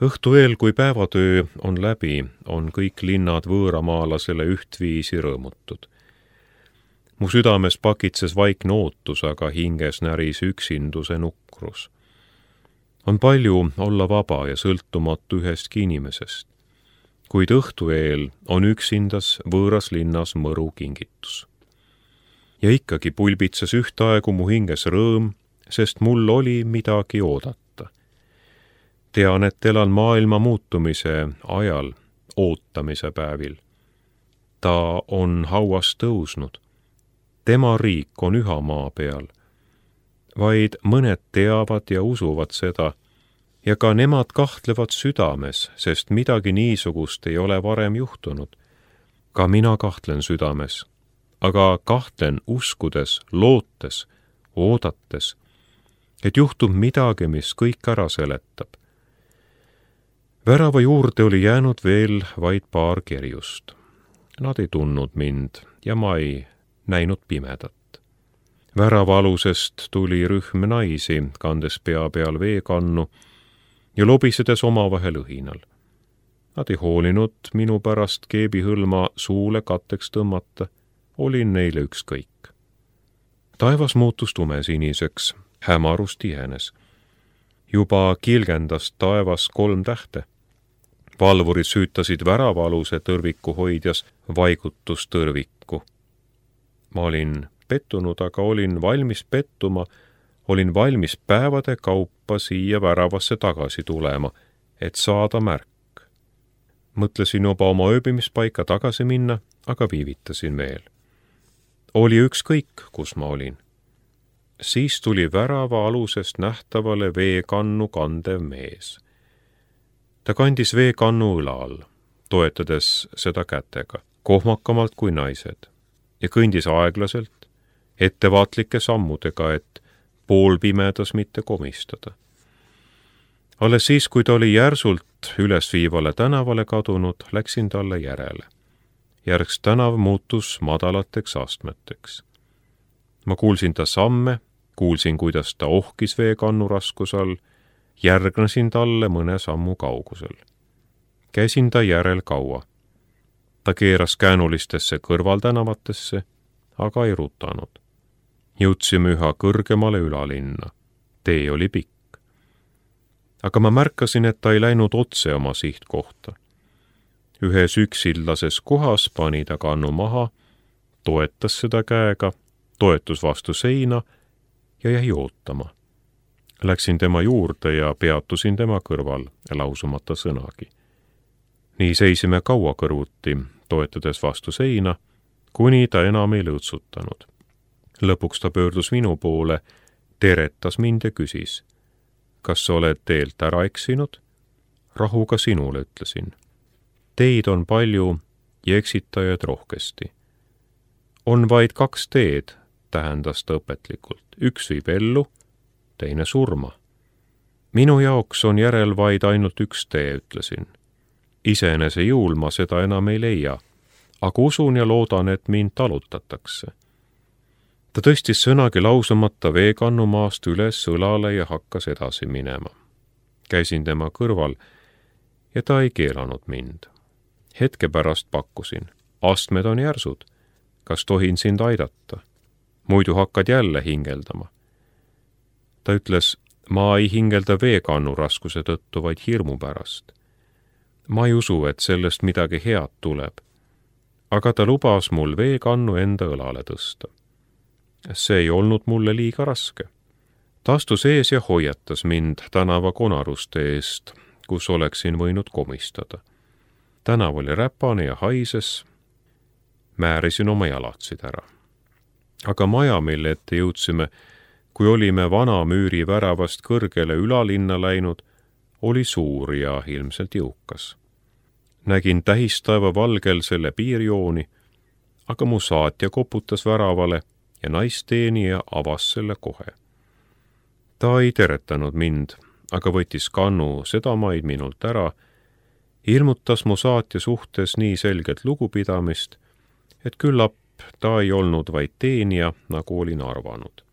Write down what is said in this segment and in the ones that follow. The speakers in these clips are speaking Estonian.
Õhtu eel, kui päevatöö on läbi, on kõik linnad võõramaalasele ühtviisi rõõmutud. Mu südames pakitses vaikne ootus, aga hinges näris üksinduse nukrus. On palju olla vaba ja sõltumatu ühestki inimesest, kuid õhtu eel on üksindas võõras linnas mõru kingitus. Ja ikkagi pulbitses ühtaegu mu hinges rõõm, sest mul oli midagi oodata. Tean, et elan maailma muutumise ajal, ootamise päevil. Ta on hauas tõusnud. Tema riik on üha maa peal. Vaid mõned teavad ja usuvad seda, ja ka nemad kahtlevad südames, sest midagi niisugust ei ole varem juhtunud. Ka mina kahtlen südames, aga kahtlen uskudes, lootes, oodates, et juhtub midagi, mis kõik ära seletab. Värava juurde oli jäänud veel vaid paar kerjust. Nad ei tundnud mind ja ma ei näinud pimedat. Värava alusest tuli rühm naisi, kandes pea peal veekannu ja lobisedes omavahel õhinal. Nad ei hoolinud minu pärast keebihõlma suule katteks tõmmata, olin neile ükskõik. Taevas muutus tumesiniseks, hämarus tihenes. Juba kilgendas taevas 3 tähte. Valvurid süütasid väravaaluse tõrviku hoidjas vaigutustõrvikku. Ma olin pettunud, aga olin valmis pettuma, olin valmis päevade kaupa siia väravasse tagasi tulema, et saada märk. Mõtlesin juba oma ööbimispaika tagasi minna, aga viivitasin veel. Oli ükskõik, kus ma olin. Siis tuli värava alusest nähtavale veekannu kandev mees. Ta kandis veekannu õla all, toetades seda kätega, kohmakamalt kui naised, ja kõndis aeglaselt, ettevaatlike sammudega, et poolpimedas mitte komistada. Alles siis, kui ta oli järsult ülesviivale tänavale kadunud, läksin talle järele. Järgs tänav muutus madalateks astmeteks. Ma kuulsin ta samme, kuulsin, kuidas ta ohkis veekannu raskuse all, järgnesin talle mõne sammu kaugusel. Käisin ta järel kaua. Ta keeras käänulistesse kõrvaltänavatesse, aga ei rutanud. Jõudsime üha kõrgemale ülalinna. Tee oli pikk. Aga ma märkasin, et ta ei läinud otse oma sihtkohta. Ühes üksillases kohas pani ta kannu maha, toetas seda käega, toetus vastu seina ja jäi ootama. Läksin tema juurde ja peatusin tema kõrval, lausumata sõnagi. Nii seisime kaua kõrvuti, toetades vastu seina, kuni ta enam ei lõõtsutanud. Lõpuks ta pöördus minu poole, teretas mind ja küsis, kas sa oled teelt ära eksinud? Rahuga sinule, ütlesin. Teid on palju ja eksitajaid rohkesti. On vaid 2 teed, tähendas ta õpetlikult. Üks viib ellu, teine surma. Minu jaoks on järel vaid ainult 1 tee, ütlesin. Iseenese jõul ma seda enam ei leia, aga usun ja loodan, et mind talutatakse. Ta tõstis sõnagi lausumata veekannu maast üles õlale ja hakkas edasi minema. Käisin tema kõrval ja ta ei keelanud mind. Hetke pärast pakkusin. Astmed on järsud. Kas tohin sind aidata? Muidu hakkad jälle hingeldama. Ta ütles, ma ei hingelda veekannu raskuse tõttu, vaid hirmu pärast. Ma ei usu, et sellest midagi head tuleb. Aga ta lubas mul veekannu enda õlale tõsta. See ei olnud mulle liiga raske. Ta astus ees ja hoiatas mind tänava konaruste eest, kus oleksin võinud komistada. Tänav oli räpane ja haises. Määrisin oma jalatsid ära. Aga maja, mille ette jõudsime, kui olime vana müüri väravast kõrgele ülalinna läinud, oli suur ja ilmselt jõukas. Nägin tähistaeva valgel selle piirjooni, aga mu saatja koputas väravale ja naisteenija avas selle kohe. Ta ei teretanud mind, aga võttis kannu sedamaid minult ära, ilmutas mu saatja suhtes nii selgelt lugupidamist, et küllap ta ei olnud vaid teenija, nagu olin arvanud.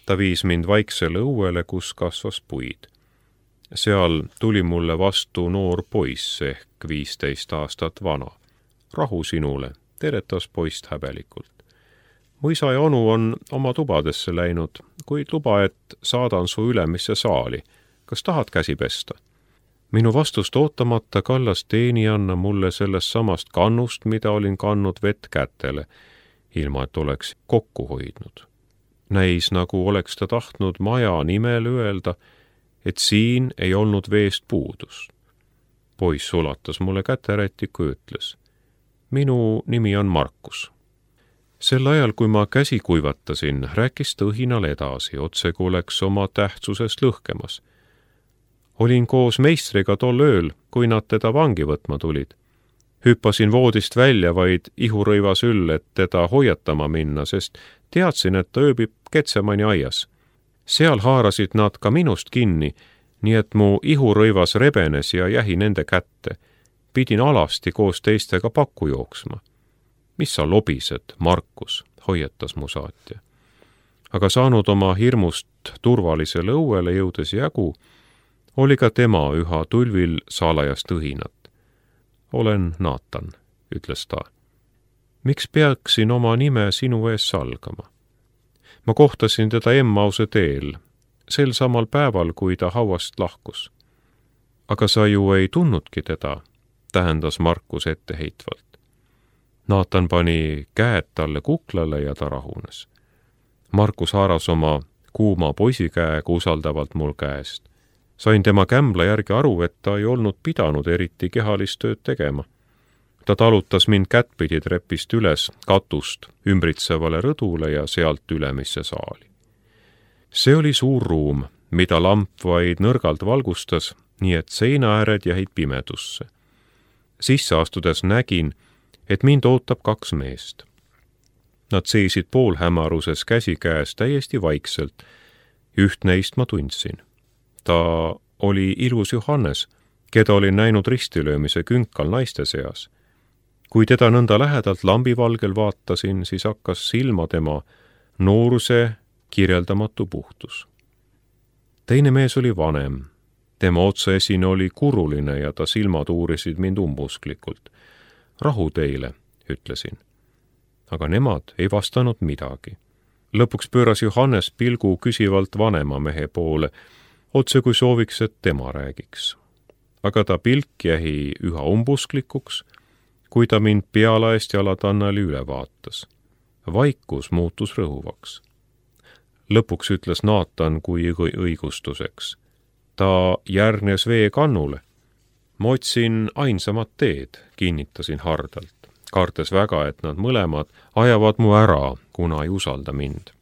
Ta viis mind vaiksele õuele, kus kasvas puid. Seal tuli mulle vastu noor poiss ehk 15 aastat vana. Rahu sinule, teretas poist häbelikult. Mu isa ja onu on oma tubadesse läinud, kuid luba, et saadan su ülemisse saali. Kas tahad käsi pesta? Minu vastust ootamata kallas teenijanna mulle sellest samast kannust, mida olin kandnud vett kätele, ilma et oleks kokku hoidnud. Näis, nagu oleks ta tahtnud maja nimel öelda, et siin ei olnud veest puudust. Poiss ulatas mulle käterätiku ja ütles, minu nimi on Markus. Sel ajal, kui ma käsi kuivatasin, rääkis tõhinal edasi, otse kui oleks oma tähtsusest lõhkemas. Olin koos meistriga tol ööl, kui nad teda vangi võtma tulid. Hüppasin voodist välja vaid ihurõivas üll, et teda hoiatama minna, sest teadsin, et ta ööbib Getsemani aias. Seal haarasid nad ka minust kinni, nii et mu ihurõivas rebenes ja jäi nende kätte. Pidin alasti koos teistega pakku jooksma. Mis sa lobised, Markus, hoiatas mu saatja. Aga saanud oma hirmust turvalisele õuele jõudes jagu, oli ka tema üha tulvil salajast õhinat. Olen Naatan, ütles ta. Miks peaksin oma nime sinu ees salgama? Ma kohtasin teda Emmause teel, sel samal päeval, kui ta hauast lahkus. Aga sa ju ei tunnudki teda, tähendas Markus etteheitvalt. Naatan pani käed talle kuklale ja ta rahunes. Markus haaras oma kuuma poisikäega usaldavalt mul käest. Sain tema kämbla järgi aru, et ta ei olnud pidanud eriti kehalist tööd tegema. Ta talutas mind kättpidi trepist üles katust ümbritsevale rõdule ja sealt ülemisse saali. See oli suur ruum, mida lamp vaid nõrgalt valgustas, nii et seinaääred jäid pimedusse. Sisse astudes nägin, et mind ootab 2 meest. Nad seisid poolhämaruses käsikäes täiesti vaikselt. Üht neist ma tundsin. Ta oli ilus Johannes, keda olin näinud ristilöömise künkal naiste seas. Kui teda nõnda lähedalt lambivalgel vaatasin, siis hakkas silma tema nooruse kirjeldamatu puhtus. Teine mees oli vanem. Tema otsaesine oli kuruline ja ta silmad uurisid mind umbusklikult. Rahu teile, ütlesin. Aga nemad ei vastanud midagi. Lõpuks pööras Johannes pilgu küsivalt vanema mehe poole, otse kui sooviks, et tema räägiks. Aga ta pilk jäi üha umbusklikuks, kui ta mind pealaest jalatannali üle vaatas. Vaikus muutus rõhuvaks. Lõpuks ütles Naatan kui õigustuseks. Ta järgnes veekannule. Ma otsin ainsamat teed, kinnitasin hardalt. Kartes väga, et nad mõlemad ajavad mu ära, kuna ei usalda mind.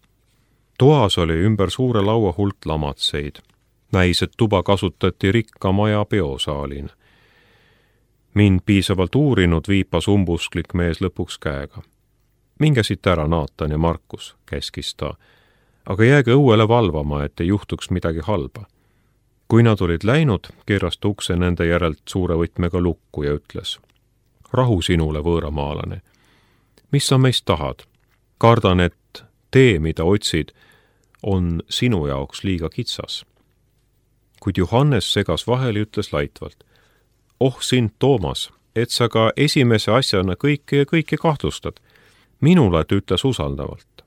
Toas oli ümber suure laua hulk lamatseid. Näis, et tuba kasutati rikka maja peosaalina. Mind piisavalt uurinud viipas umbusklik mees lõpuks käega. Minge siit ära, Naatan ja Markus, käskis ta, aga jääge õuele valvama, et ei juhtuks midagi halba. Kui nad olid läinud, keeras ta ukse nende järelt suure võtmega lukku ja ütles, rahu sinule, võõramaalane. Mis sa meist tahad? Kardan, et tee, mida otsid, on sinu jaoks liiga kitsas. Kuid Johannes segas vahele ja ütles laitvalt, sind, Toomas, et sa ka esimese asjana kõike kahtlustad. Minule ta ütles usaldavalt.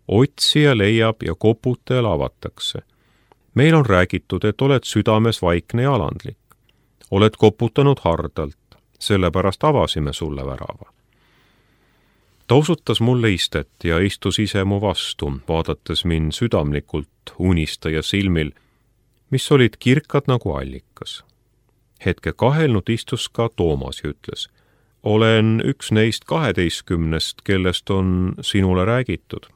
Otsija leiab ja koputajal avatakse. Meil on räägitud, et oled südames vaikne ja alandlik. Oled koputanud hardalt, sellepärast avasime sulle värava. Ta osutas mulle istet ja istus ise mu vastu, vaadates mind südamlikult unistaja silmil, mis olid kirkad nagu allikas. Hetke kahelnud istus ka Toomas ja ütles, olen üks neist 12, kellest on sinule räägitud.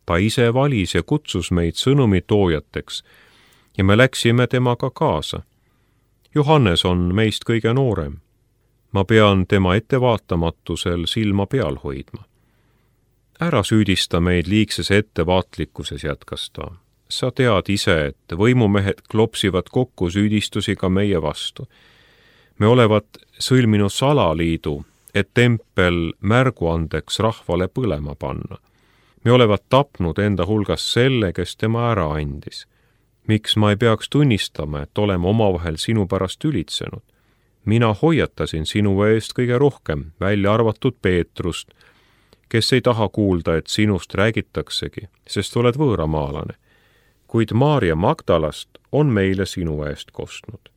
Ta ise valis ja kutsus meid sõnumi toojateks ja me läksime temaga kaasa. Johannes on meist kõige noorem. Ma pean tema ettevaatamatusel silma peal hoidma. Ära süüdista meid liigses ettevaatlikkuses, jätkas ta. Sa tead ise, et võimumehed klopsivad kokku süüdistusi ka meie vastu. Me olevat sõlminud salaliidu, et tempel märguandeks rahvale põlema panna. Me olevat tapnud enda hulgas selle, kes tema ära andis. Miks ma ei peaks tunnistama, et oleme omavahel sinu pärast ülitsenud? Mina hoiatasin sinu eest kõige rohkem, välja arvatud Peetrust, kes ei taha kuulda, et sinust räägitaksegi, sest oled võõramaalane. Kuid Maarja Magdalast on meile sinu eest kostnud.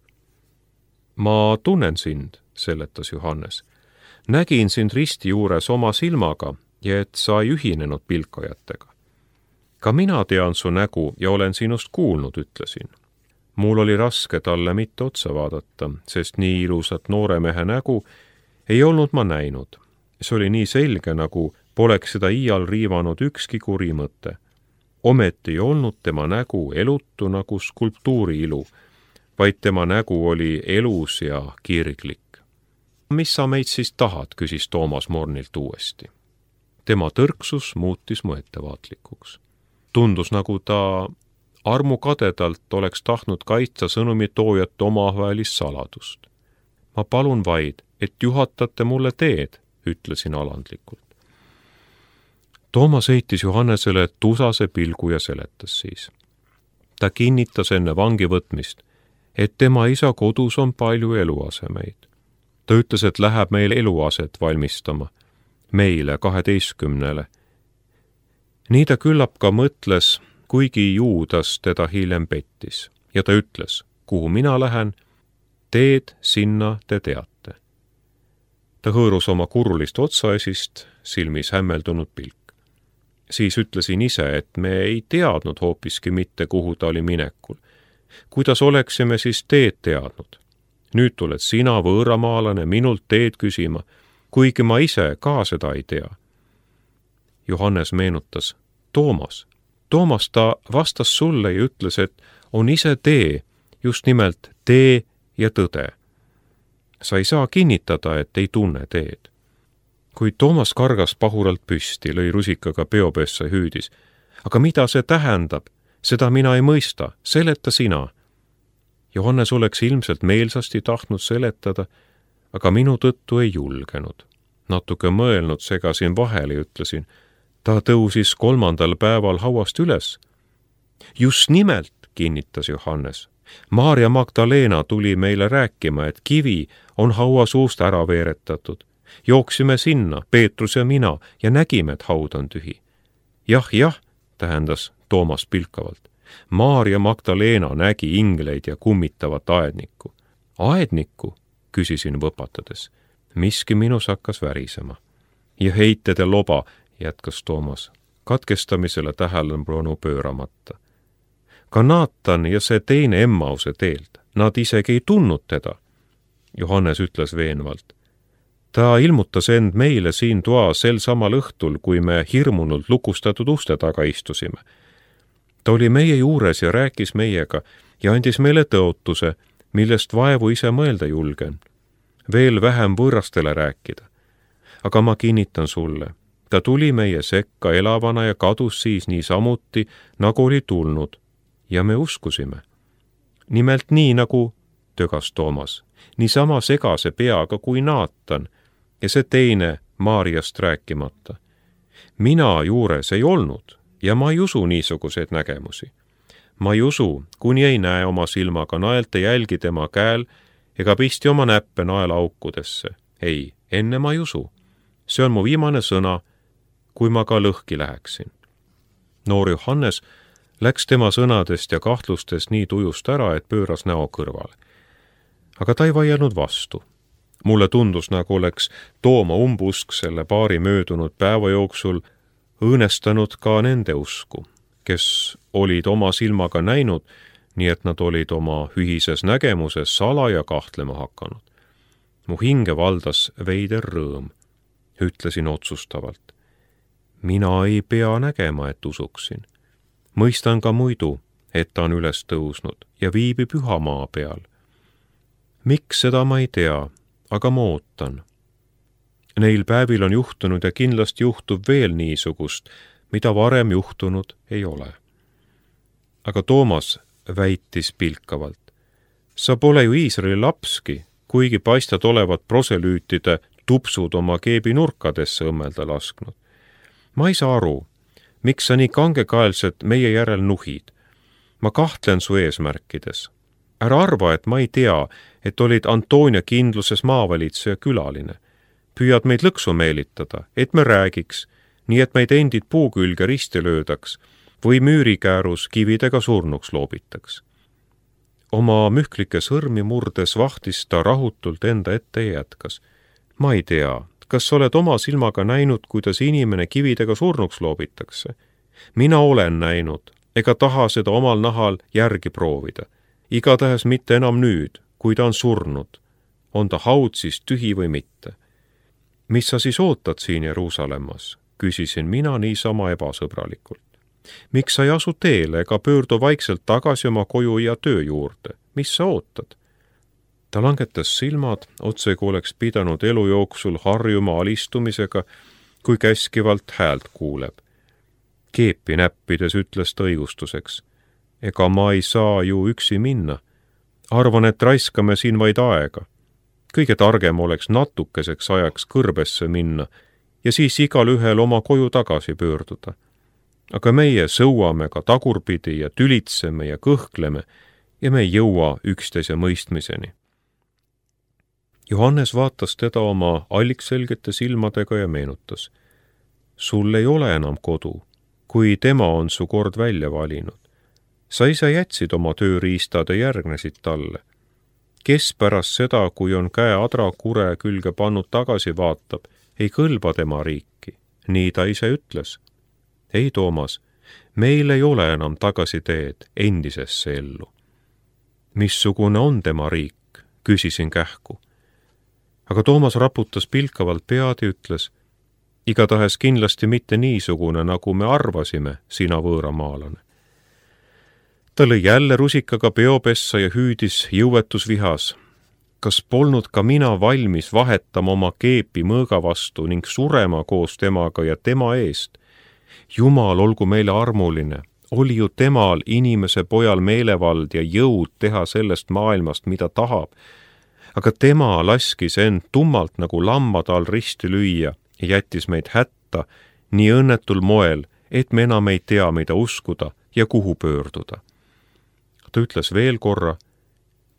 Ma tunnen sind, seletas Johannes. Nägin sind risti juures oma silmaga ja et sa ei ühinenud pilkajatega. Ka mina tean su nägu ja olen sinust kuulnud, ütlesin. Mul oli raske talle mitte otsa vaadata, sest nii ilusat noore mehe nägu ei olnud ma näinud. See oli nii selge, nagu poleks seda iial riivanud ükski kuri mõte. Ometi ei olnud tema nägu elutu nagu skulptuuri ilu, vaid tema nägu oli elus ja kirglik. Mis sa meid siis tahad, küsis Toomas Mornilt uuesti. Tema tõrksus muutis mu ettevaatlikuks. Tundus, nagu ta armukadedalt oleks tahtnud kaitsta sõnumitoojate omavahelist saladust. Ma palun vaid, et juhatate mulle teed, ütlesin alandlikult. Toomas heitis Johannesele tusase pilgu ja seletas siis. Ta kinnitas enne vangi võtmist, et tema isa kodus on palju eluasemeid. Ta ütles, et läheb meil eluaset valmistama, meile 12. Nii ta küllap ka mõtles, kuigi Juudas teda hiljem pettis, ja ta ütles, kuhu mina lähen, teed sinna te teate. Ta hõõrus oma kurulist otsaesist, silmis hämmeldunud pilk. Siis ütlesin ise, et me ei teadnud hoopiski mitte, kuhu ta oli minekul. Kuidas oleksime siis teed teadnud? Nüüd tuled sina, võõramaalane, minult teed küsima, kuigi ma ise ka seda ei tea. Johannes meenutas, Toomas ta vastas sulle ja ütles, et on ise tee, just nimelt tee ja tõde. Sa ei saa kinnitada, et ei tunne teed. Kui Toomas kargas pahuralt püsti, lõi rusikaga peopessa ja hüüdis. Aga mida see tähendab? Seda mina ei mõista, seleta sina. Johannes oleks ilmselt meelsasti tahtnud seletada, aga minu tõttu ei julgenud. Natuke mõelnud segasin vahele ja ütlesin, ta tõusis 3. päeval hauast üles. Just nimelt, kinnitas Johannes. Maarja Magdalena tuli meile rääkima, et kivi on hauasuust ära veeretatud. Jooksime sinna, Peetrus ja mina, ja nägime, et haud on tühi. Jah, tähendas Toomas pilkavalt. Maarja Magdalena nägi ingleid ja kummitavat aednikku. Aednikku, küsisin võpatades. Miski minus hakkas värisema. Ja heited ja loba, jätkas Toomas, katkestamisele tähelepanu pööramata. Ka Naatan ja see teine Emmause teelt, nad isegi ei tundnud teda. Johannes ütles veenvalt. Ta ilmutas end meile siin toas sel samal õhtul, kui me hirmunult lukustatud uste taga istusime. Ta oli meie juures ja rääkis meiega ja andis meile tõotuse, millest vaevu ise mõelda julgen. Veel vähem võõrastele rääkida. Aga ma kinnitan sulle, ta tuli meie sekka elavana ja kadus siis niisamuti, nagu oli tulnud, ja me uskusime. Nimelt nii, nagu tögas Toomas, niisama segase peaga kui Naatan, ja see teine Maarjast rääkimata. Mina juures ei olnud ja ma ei usu niisuguseid nägemusi. Ma ei usu, kuni ei näe oma silmaga naelte jälgi tema käel ega pisti oma näppe naelaaukudesse. Ei, enne ma ei usu. See on mu viimane sõna, kui ma ka lõhki läheksin. Noor Johannes läks tema sõnadest ja kahtlustest nii tujust ära, et pööras näo kõrvale. Aga ta ei vaielnud vastu. Mulle tundus, nagu oleks Tooma umbusk selle paari möödunud päeva jooksul õõnestanud ka nende usku, kes olid oma silmaga näinud, nii et nad olid oma ühises nägemuses salaja kahtlema hakanud. Mu hinge valdas veider rõõm. Ütlesin otsustavalt. Mina ei pea nägema, et usuksin. Mõistan ka muidu, et ta on üles tõusnud ja viibib üha maa peal. Miks seda ma ei tea, aga ma ootan. Neil päevil on juhtunud ja kindlasti juhtub veel niisugust, mida varem juhtunud ei ole. Aga Toomas väitis pilkavalt. Sa pole ju Iisraeli lapski, kuigi paistad olevat proselüütide tupsud oma keebi nurkadesse õmmelda lasknud. Ma ei saa aru, miks sa nii kangekaelselt meie järel nuhid. ma kahtlen su eesmärkides. Ära arva, et ma ei tea, et olid Antonia kindluses maavalitseja külaline. Püüad meid lõksu meelitada, et me räägiks, nii et meid endid puu külge risti löödaks või müürikäärus kividega surnuks loobitaks. Oma mühklike sõrmi murdes vahtis ta rahutult enda ette ja jätkas. Ma ei tea, kas oled oma silmaga näinud, kuidas inimene kividega surnuks loobitakse? Mina olen näinud, ega taha seda omal nahal järgi proovida. Igatahes mitte enam nüüd, kui ta on surnud. On ta haud siis tühi või mitte? Mis sa siis ootad siin Jeruusalemmas? Küsisin mina niisama ebasõbralikult. Miks sa ei asu teele ega pöördu vaikselt tagasi oma koju ja töö juurde? Mis sa ootad? Ta langetas silmad, otse kui oleks pidanud elu jooksul harjuma alistumisega, kui käskivalt häält kuuleb. Keepi näppides ütles ta õigustuseks. Ega ma ei saa ju üksi minna. Arvan, et raiskame siin vaid aega. Kõige targem oleks natukeseks ajaks kõrbesse minna ja siis igal ühel oma koju tagasi pöörduda. Aga meie sõuame ka tagurpidi ja tülitseme ja kõhkleme ja me ei jõua üksteise mõistmiseni. Johannes vaatas teda oma allikselgete silmadega ja meenutas. Sul ei ole enam kodu, kui tema on su kord välja valinud. Sa ise jätsid oma tööriistad ja järgnesid talle. Kes pärast seda, kui on käe adrakure külge pannud tagasi vaatab, ei kõlba tema riiki. Nii ta ise ütles. Ei, Toomas, meil ei ole enam tagasiteed endisesse ellu. Missugune on tema riik? Küsisin kähku. Aga Toomas raputas pilkavalt pead ja ütles, igatahes kindlasti mitte niisugune, nagu me arvasime, sina võõramaalane. Ta lõi jälle rusikaga peopessa ja hüüdis jõuetusvihas. Kas polnud ka mina valmis vahetama oma keepi mõõga vastu ning surema koos temaga ja tema eest? Jumal olgu meile armuline, oli ju temal inimese pojal meelevald ja jõud teha sellest maailmast, mida tahab. Aga tema laskis end tummalt nagu lammade all risti lüüa ja jättis meid hätta nii õnnetul moel, et me enam ei tea, mida uskuda ja kuhu pöörduda. Ta ütles veel korra,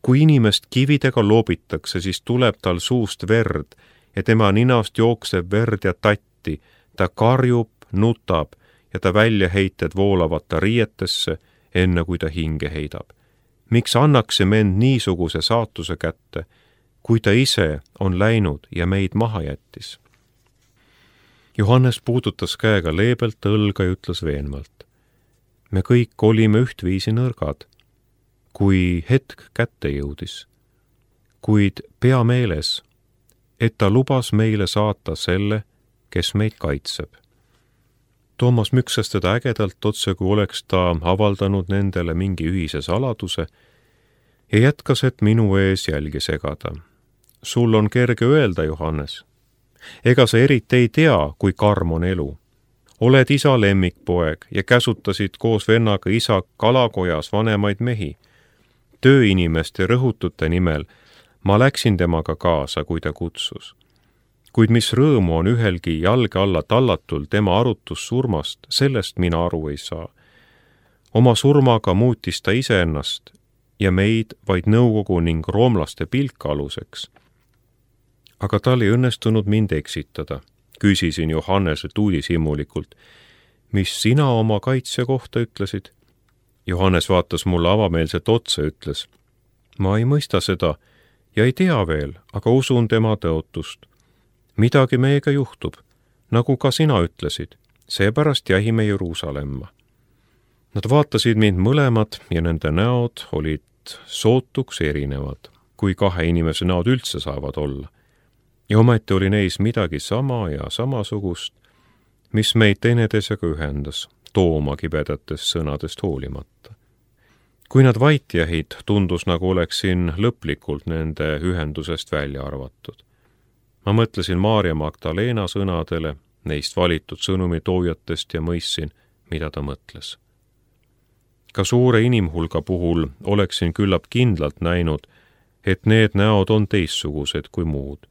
kui inimest kividega loobitakse, siis tuleb tal suust verd ja tema ninast jookseb verd ja tatti, ta karjub, nutab ja ta väljaheited voolavad ta riietesse, enne kui ta hinge heidab. Miks annaksime end niisuguse saatuse kätte, kui ta ise on läinud ja meid maha jättis? Johannes puudutas käega leebelt õlga ja ütles veenvalt. Me kõik olime ühtviisi nõrgad, kui hetk kätte jõudis, kuid pea meeles, et ta lubas meile saata selle, kes meid kaitseb. Toomas müksas teda ägedalt otse, kui oleks ta avaldanud nendele mingi ühise saladuse ja jätkas, et minu ees jälgi segada. Sul on kerge öelda, Johannes. Ega sa eriti ei tea, kui karm on elu. Oled isa lemmikpoeg ja käsutasid koos vennaga isa kalakojas vanemaid mehi. Tööinimeste rõhutute nimel ma läksin temaga kaasa, kui ta kutsus. Kuid mis rõõmu on ühelgi jalge alla tallatul tema arutus surmast, sellest mina aru ei saa. Oma surmaga muutis ta iseennast ja meid vaid nõukogu ning roomlaste pilka aluseks. Aga tal ei õnnestunud mind eksitada, küsisin Johanneselt uudishimulikult. Mis sina oma kaitsja kohta ütlesid? Johannes vaatas mulle avameelselt otsa, ütles. Ma ei mõista seda ja ei tea veel, aga usun tema tõotust. Midagi meiega juhtub, nagu ka sina ütlesid, seepärast jähime Jeruusalemma. Nad vaatasid mind mõlemad ja nende näod olid sootuks erinevad, kui kahe inimese näod üldse saavad olla. Ja ometi oli neis midagi sama ja samasugust, mis meid teineteisega ühendas, Tooma kibedatest sõnadest hoolimata. Kui nad vait jähid, tundus nagu oleksin lõplikult nende ühendusest välja arvatud. Ma mõtlesin Maarja Magdalena sõnadele, neist valitud sõnumitoojatest ja mõistsin, mida ta mõtles. Ka suure inimhulga puhul oleksin küllap kindlalt näinud, et need näod on teistsugused kui muud.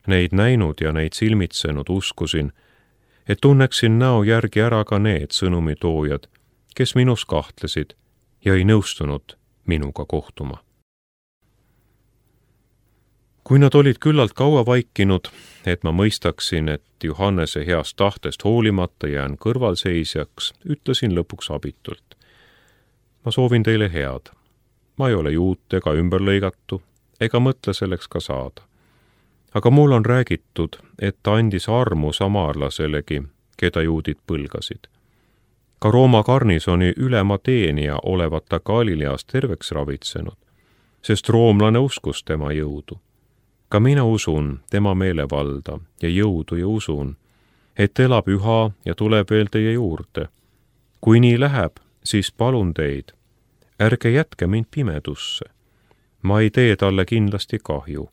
Neid näinud ja neid silmitsenud uskusin, et tunneksin näo järgi ära ka need sõnumitoojad, kes minus kahtlesid ja ei nõustunud minuga kohtuma. Kui nad olid küllalt kaua vaikinud, et ma mõistaksin, et Johannese heast tahtest hoolimata jään kõrvalseisjaks, ütlesin lõpuks abitult. Ma soovin teile head. Ma ei ole juut ega ümberlõigatu, ega mõtle selleks ka saada. Aga mul on räägitud, et ta andis armu samaarlaselegi, keda juudid põlgasid. Ka Rooma garnisoni ülema teenija olevat ta Galileas terveks ravitsenud, sest roomlane uskus tema jõudu. Ka mina usun tema meelevalda ja jõudu ja usun, et elab üha ja tuleb veel teie juurde. Kui nii läheb, siis palun teid, ärge jätke mind pimedusse. Ma ei tee talle kindlasti kahju.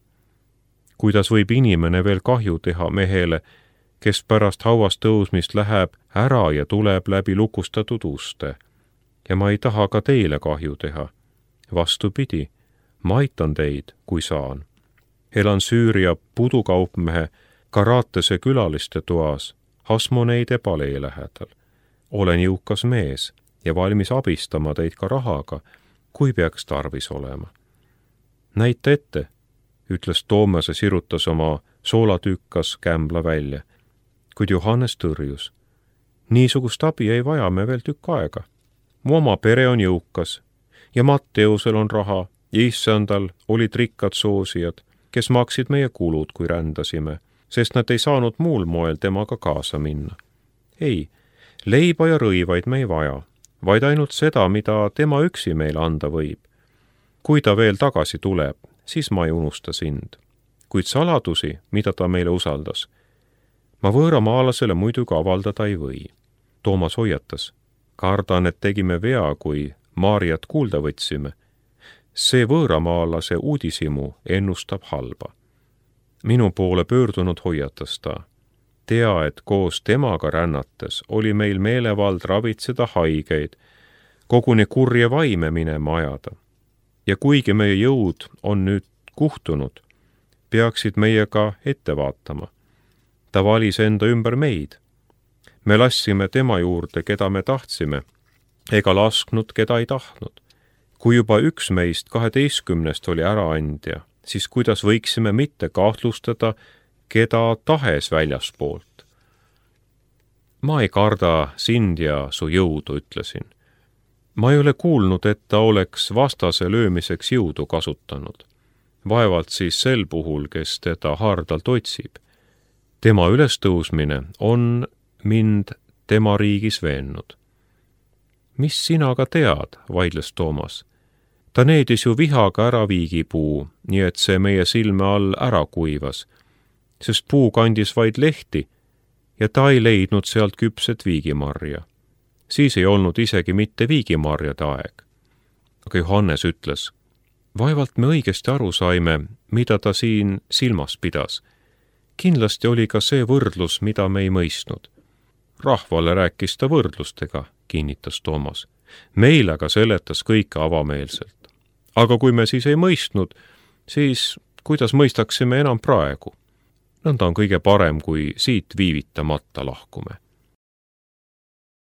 Kuidas võib inimene veel kahju teha mehele, kes pärast hauast tõusmist läheb ära ja tuleb läbi lukustatud uste? Ja ma ei taha ka teile kahju teha. Vastupidi, ma aitan teid, kui saan. Elan Süüria pudukaupmehe Karatese külaliste toas, Hasmoneide palee lähedal. Olen jõukas mees ja valmis abistama teid ka rahaga, kui peaks tarvis olema. Näita ette, ütles Toomas ja sirutas oma soolatükkas kämbla välja, kuid Johannes tõrjus. Niisugust abi ei vaja me veel tükk aega. Mu oma pere on jõukas ja Matteusel on raha ja issandal olid rikkad soosijad, kes maksid meie kulud, kui rändasime, sest nad ei saanud muul moel temaga kaasa minna. Ei, leiba ja rõivaid me ei vaja, vaid ainult seda, mida tema üksi meile anda võib. Kui ta veel tagasi tuleb, siis ma ei unusta sind. Kuid saladusi, mida ta meile usaldas, ma võõramaalasele muidugi avaldada ei või. Toomas hoiatas. Kardan, et tegime vea, kui Maarjat kuulda võtsime. See võõramaalase uudisimu ennustab halba. Minu poole pöördunud hoiatas ta. Tea, et koos temaga rännates oli meil meelevald ravitseda haigeid, koguni kurje vaime minema ajada. Ja kuigi meie jõud on nüüd kuhtunud, peaksid meiega ette vaatama. Ta valis enda ümber meid. Me lassime tema juurde, keda me tahtsime, ega lasknud, keda ei tahtnud. Kui juba üks meist 12 oli äraandja, siis kuidas võiksime mitte kahtlustada, keda tahes väljaspoolt? Ma ei karda sind ja su jõudu, ütlesin. Ma ei ole kuulnud, et ta oleks vastase löömiseks jõudu kasutanud. Vaevalt siis sel puhul, kes teda hardalt otsib. Tema ülestõusmine on mind tema riigis veennud. Mis sina ka tead, vaidles Toomas. Ta needis ju vihaga ära viigipuu, nii et see meie silme all ära kuivas, sest puu kandis vaid lehti ja ta ei leidnud sealt küpset viigimarja. Siis ei olnud isegi mitte viigimarjade aeg. Aga Johannes ütles, vaevalt me õigesti aru saime, mida ta siin silmas pidas. Kindlasti oli ka see võrdlus, mida me ei mõistnud. Rahvale rääkis ta võrdlustega, kinnitas Toomas. Meil aga seletas kõike avameelselt. Aga kui me siis ei mõistnud, siis kuidas mõistaksime enam praegu? Nõnda on kõige parem, kui siit viivitamata lahkume.